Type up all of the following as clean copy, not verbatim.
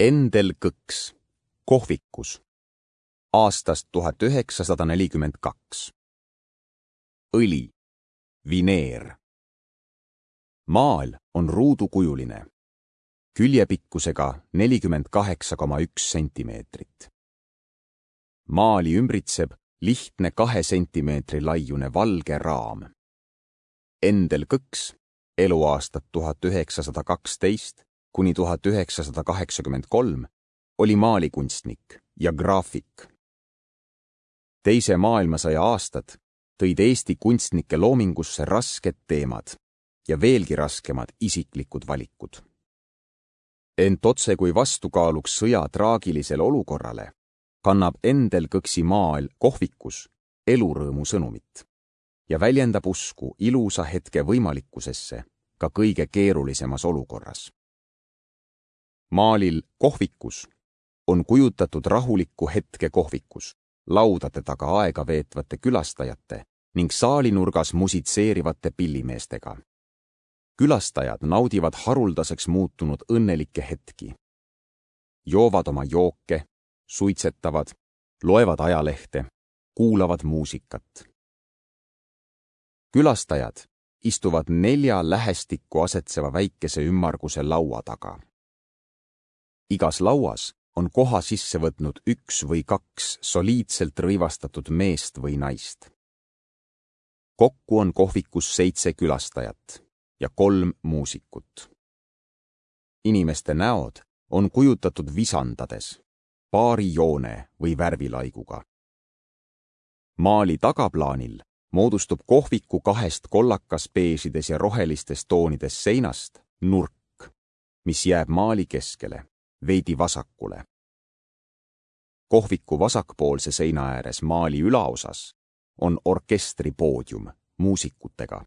Endel Kõks, kohvikus, aastast 1942. Õli, vineer. Maal on ruudukujuline, küljepikkusega 48,1 sentimeetrit. Maali ümbritseb lihtne 2 sentimeetri laiune valge raam. Endel Kõks, eluaastad 1912 kuni 1983, oli maalikunstnik ja graafik. Teise maailmasõja aastad tõid Eesti kunstnike loomingusse rasked teemad ja veelgi raskemad isiklikud valikud. Ent otse kui vastukaaluks sõja traagilisele olukorrale kannab Endel Kõksi maal kohvikus elurõõmu sõnumit ja väljendab usku ilusa hetke võimalikkusesse ka kõige keerulisemas olukorras. Maalil kohvikus on kujutatud rahulikku hetke kohvikus, laudade taga aega veetvate külastajate ning saalinurgas musitseerivate pillimeestega. Külastajad naudivad haruldaseks muutunud õnnelikke hetki. Joovad oma jooke, suitsetavad, loevad ajalehte, kuulavad muusikat. Külastajad istuvad 4 lähestikku asetseva väikese ümmarguse laua taga. Igas lauas on koha sisse võtnud 1 või 2 soliidselt rõivastatud meest või naist. Kokku on kohvikus 7 külastajat ja 3 muusikut. Inimeste näod on kujutatud visandades, paari joone või värvilaiguga. Maali tagaplaanil moodustub kohviku 2 kollakas beežides ja rohelistes toonides seinast nurk, mis jääb maali keskele, veidi vasakule. Kohviku vasakpoolse seina ääres maali ülaosas on orkestri poodium muusikutega.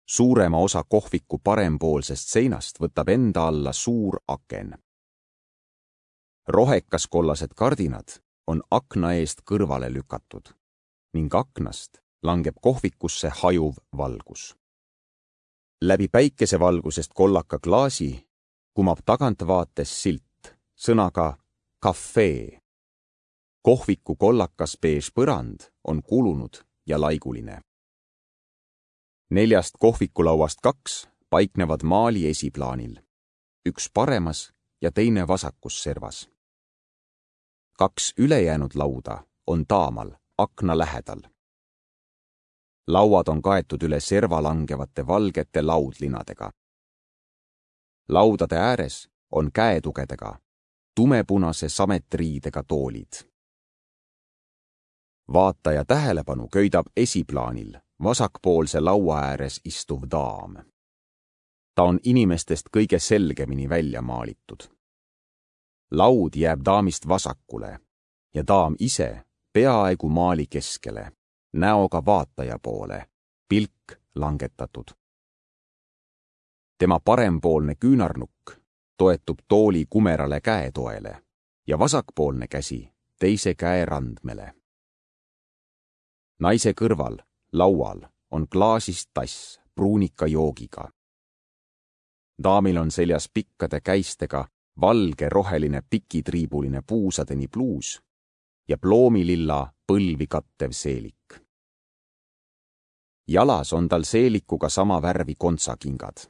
Suurema osa kohviku parempoolsest seinast võtab enda alla suur aken. Rohekas-kollased kardinad on akna eest kõrvale lükatud ning aknast langeb kohvikusse hajuv valgus. Läbi päikesevalgusest kollaka klaasi kumab tagantvaates silt sõnaga kafee. Kohviku kollakas beež põrand on kulunud ja laiguline. 4 kohvikulauast 2 paiknevad maali esiplaanil, 1 paremas ja teine vasakus servas. 2 ülejäänud lauda on taamal akna lähedal. Lauad on kaetud üle serva langevate valgete laudlinadega. Laudade ääres on käetugedega, tumepunase sametriidega toolid. Vaataja tähelepanu köidab esiplaanil vasakpoolse laua ääres istuv daam. Ta on inimestest kõige selgemini välja maalitud. Laud jääb daamist vasakule ja daam ise peaaegu maali keskele, näoga vaataja poole, pilk langetatud. Tema parempoolne küünarnukk toetub tooli kumerale käetoele ja vasakpoolne käsi teise käe randmele. Naise kõrval, laual, on klaasist tass pruunika joogiga. Daamil on seljas pikkade käistega valge roheline pikitriibuline puusadeni pluus ja ploomililla põlvi kattev seelik. Jalas on tal seelikuga sama värvi kontsakingad.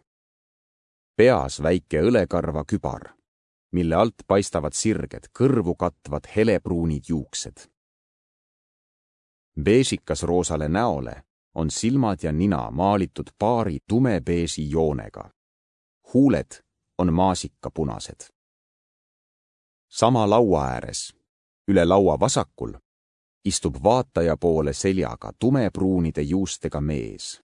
Peas väike õlekarva kübar, mille alt paistavad sirged, kõrvu katvad helepruunid juuksed. Beežikas roosale näole on silmad ja nina maalitud paari tumebeesi joonega. Huuled on maasikapunased. Sama laua ääres, üle laua vasakul, istub vaataja poole seljaga tumepruunide juustega mees.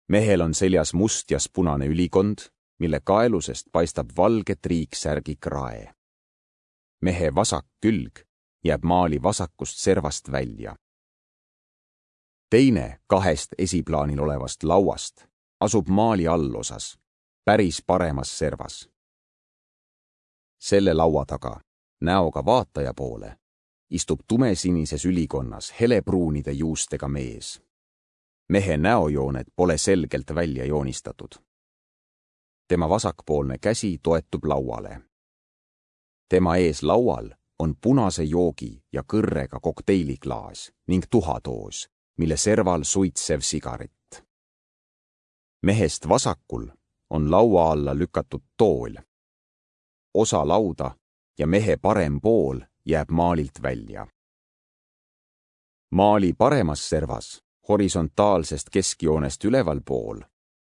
Mehel on seljas must ja punane ülikond, mille kaelusest paistab valge triiksärgi krae. Mehe vasak külg jääb maali vasakust servast välja. Teine 2 esiplaanil olevast lauast asub maali allosas, päris paremas servas. Selle laua taga, näoga vaataja poole, istub tumesinises ülikonnas helepruunide juustega mees. Mehe näojooned pole selgelt välja joonistatud. tema vasakpoolne käsi toetub lauale. Tema ees laual on punase joogi ja kõrrega kokteiliklaas ning tuhatoos, mille serval suitsev sigaret. Mehest vasakul on laua alla lükatud tool. Osa lauda ja mehe parem pool jääb maalilt välja. Maali paremas servas, horisontaalsest keskjoonest üleval pool,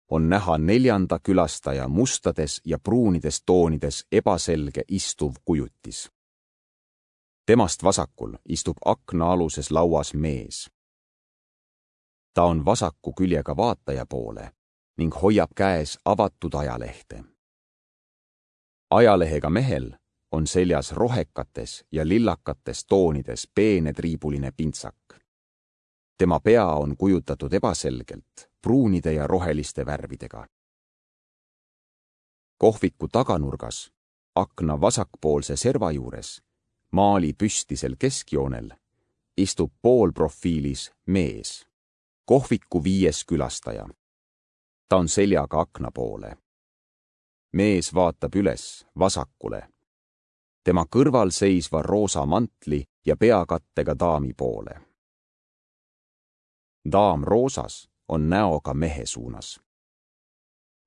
on näha 4. külastaja mustades ja pruunides toonides ebaselge istuv kujutis. Temast vasakul istub aknaaluses lauas mees. Ta on vasaku küljega vaataja poole ning hoiab käes avatud ajalehte. Ajalehega mehel on seljas rohekates ja lillakates toonides peene triibuline pintsak. Tema pea on kujutatud ebaselgelt pruunide ja roheliste värvidega. Kohviku taganurgas, akna vasakpoolse serva juures, maali püstisel keskjoonel, istub poolprofiilis mees, kohviku 5. külastaja. Ta on seljaga akna poole. Mees vaatab üles vasakule, tema kõrval seisva roosa mantli ja peakattega daami poole. Daam roosas on näoga mehe suunas.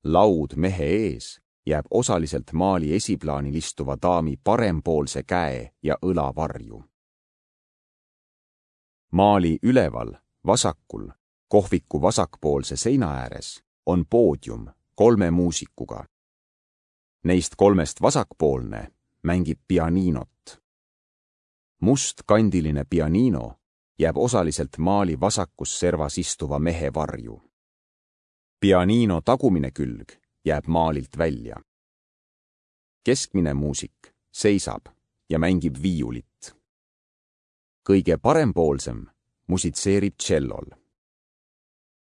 Laud mehe ees jääb osaliselt maali esiplaanil istuva daami parempoolse käe ja õla varju. Maali üleval, vasakul, kohviku vasakpoolse seina ääres on poodium 3 muusikuga. Neist 3 vasakpoolne mängib pianiinot. Mustkandiline pianiino jääb osaliselt maali vasakus servas istuva mehe varju. Pianiino tagumine külg jääb maalilt välja. Keskmine muusik seisab ja mängib viiulit. Kõige parempoolsem musitseerib tšellol.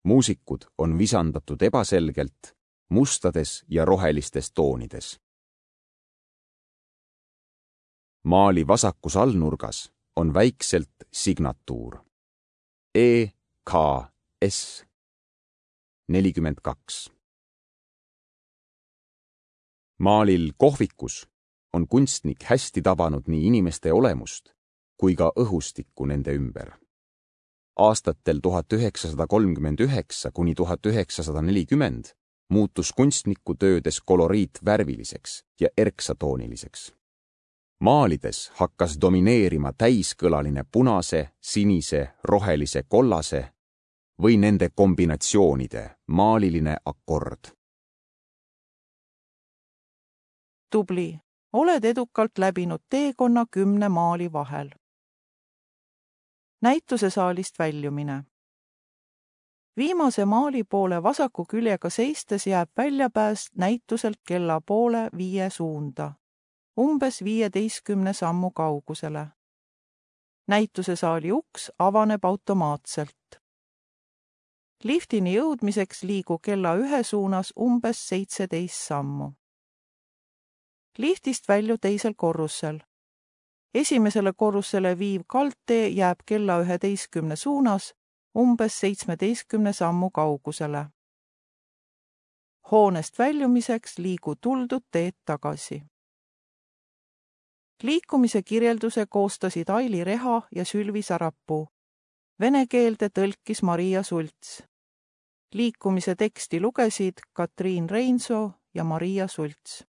Muusikud on visandatud ebaselgelt mustades ja rohelistes toonides. Maali vasakus allnurgas on väikselt signatuur EKS 42. Maalil kohvikus on kunstnik hästi tabanud nii inimeste olemust kui ka õhustikku nende ümber. Aastatel 1939 kuni 1940 muutus kunstniku töödes koloriit värviliseks ja erksatooniliseks. Maalides hakkas domineerima täiskõlaline punase, sinise, rohelise, kollase või nende kombinatsioonide maaliline akord. Tubli, oled edukalt läbinud teekonna 10 maali vahel. Näitusesaalist väljumine. Viimase maali poole vasaku küljega seistes jääb väljapääs näituselt kella poole 5 suunda, umbes 15 sammu kaugusele. Näitusesaali uks avaneb automaatselt. Liftini jõudmiseks liigu kella 1 suunas umbes 17 sammu. Liftist välju teisel korrusel. Esimesele korrusele viiv kaldtee jääb kella 11 suunas umbes 17 sammu kaugusele. Hoonest väljumiseks liigu tuldud teed tagasi. Liikumise kirjelduse koostasid Aili Reha ja Sülvi Sarapuu. Vene keelde tõlkis Maria Sults. Liikumise teksti lugesid Katriin Reinsoo ja Maria Sults.